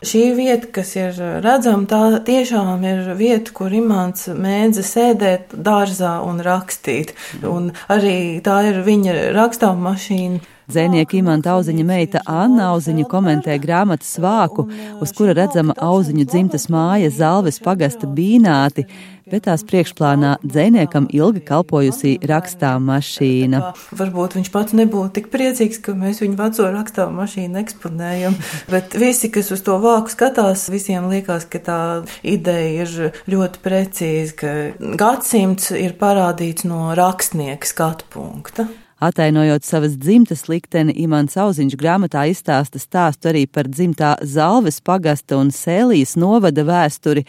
Šī vieta, kas ir redzama, tā tiešām ir vieta, kur Imants mēdza sēdēt dārzā un rakstīt. Un arī tā ir viņa rakstāmašīna. Dzejnieka Imanta Auziņa meita Anna Auziņa komentē grāmatas vāku, uz kura redzama Auziņu dzimtas māja Zalves pagasta Bīnāti, bet tās priekšplānā dzejniekam ilgi kalpojusī rakstāmašīna. Varbūt viņš pats nebūtu tik priecīgs, ka mēs viņu veco rakstāmašīnu eksponējam, bet visi, kas uz to vāku skatās, visiem liekas, ka tā ideja ir ļoti precīza, ka gadsimts ir parādīts no rakstnieka skatu punkta. Atainojot savas dzimtas likteni, Imants Auziņš grāmatā izstāsta stāstu arī par dzimtā Zalves pagasta un Sēlijas novada vēsturi,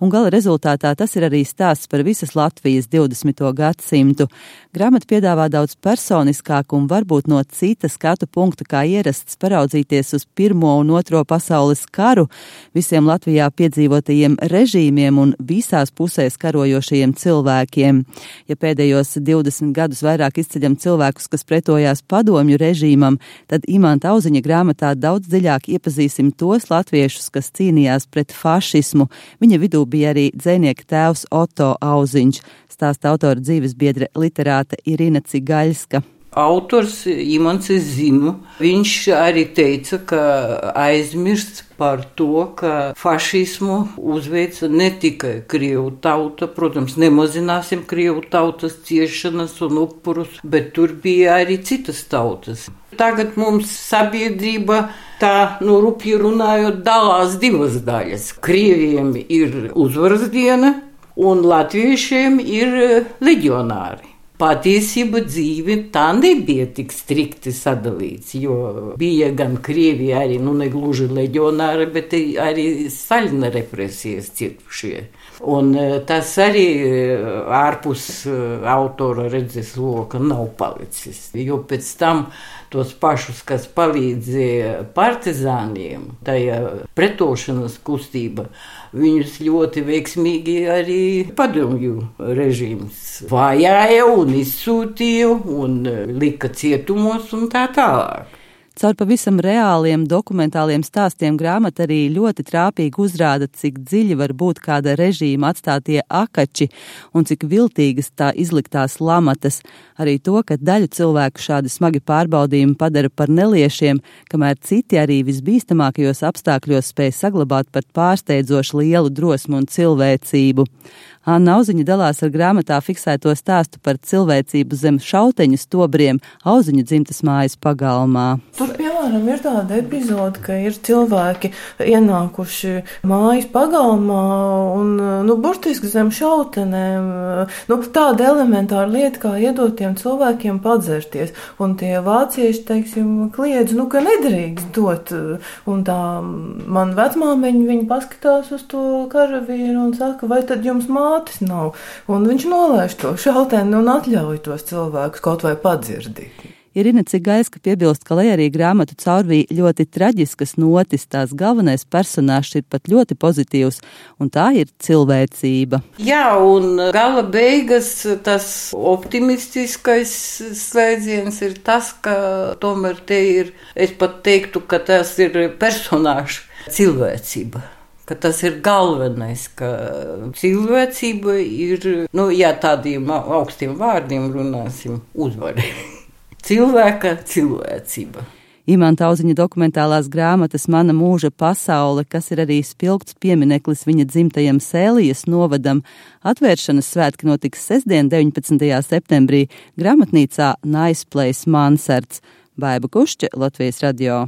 un gala rezultātā tas ir arī stāsts par visas Latvijas 20. gadsimtu. Grāmata piedāvā daudz personiskāku un varbūt no cita skatu punkta kā ierasts paraudzīties uz Pirmo un Otro pasaules karu, visiem Latvijā piedzīvotajiem režīmiem un visās pusēs karojošajiem cilvēkiem. Ja pēdējos 20 gadus vairāk izceļam cilvēkus, kas pretojās padomju režīmam, tad Imanta Auziņa grāmatā daudz dziļāk iepazīsim tos latviešus, kas cīnījās pret fašismu. Viņa vidū bija arī dzejnieka tēvs Oto Auziņš, stāsta autora dzīvesbiedre literāte Irina Cigaļska. Autors Imants es zinu, viņš arī teica, ka aizmirst par to, ka fašismu uzveica ne tikai Krievu tauta, protams, nemazināsim Krievu tautas ciešanas un upurus, bet tur bija arī citas tautas. Tagad mums sabiedrība tā, rupji runājot, dalās divas daļas. Krieviem ir uzvaras diena un latviešiem ir leģionāri. Patiesība dzīve tā nebija tik strikti sadalīts, jo bija gan Krievi arī, negluži leģionāri, bet arī Staļina represijas cietušie. Un tas arī ārpus autora redzes loka nav palicis, jo pēc tam tos pašus, kas palīdzēja partizāniem, tajā pretošanas kustība, viņus ļoti veiksmīgi arī padomju režīms vajāja un izsūtīja un lika cietumos un tā tālāk. Caur pavisam reāliem dokumentāliem stāstiem grāmata arī ļoti trāpīgi uzrāda, cik dziļi var būt kāda režīma atstātie akači un cik viltīgas tā izliktās lamatas. Arī to, ka daļu cilvēku šādi smagi pārbaudījumi padara par neliešiem, kamēr citi arī visbīstamākajos apstākļos spēj saglabāt pat pārsteidzoši lielu drosmu un cilvēcību. Anna Auziņa dalās ar grāmatā fiksēto stāstu par cilvēcību zem šauteņu stobriem Auziņu dzimtas mājas pagalmā. Tur, piemēram, ir tāda epizode, ka ir cilvēki ienākuši mājas pagalmā un, burtiski zem šautenēm. Tāda elementāra lieta, kā iedot tiem cilvēkiem padzerties. Un tie vācieši, kliedz, ka nedrīkst dot. Un tā man vecmāmiņa, viņa paskatās uz to karavīru un saka, vai tad jums mātes nav? Un viņš nolaiž to šauteni un atļauj tos cilvēkus kaut vai padzirdīt. Irina Cigaļska piebilst, ka lai arī grāmatu caurvīja ļoti traģiskas notis, tās galvenais personāžs ir pat ļoti pozitīvs, un tā ir cilvēcība. Jā, un gala beigas tas optimistiskais slēdziens ir tas, ka tomēr te ir, es pat teiktu, ka tas ir personāžs cilvēcība. Ka tas ir galvenais, ka cilvēcība ir, tādiem augstiem vārdiem runāsim, uzvari. Cilvēka cilvēcība. Imanta Auziņa dokumentālās grāmatas Mana mūža pasaule, kas ir arī spilgts piemineklis viņa dzimtajam Sēlijas novadam, atvēršanas svētki notiks sestdien 19. septembrī grāmatnīcā Nice Place Mansards. Baiba Kušķe, Latvijas radio.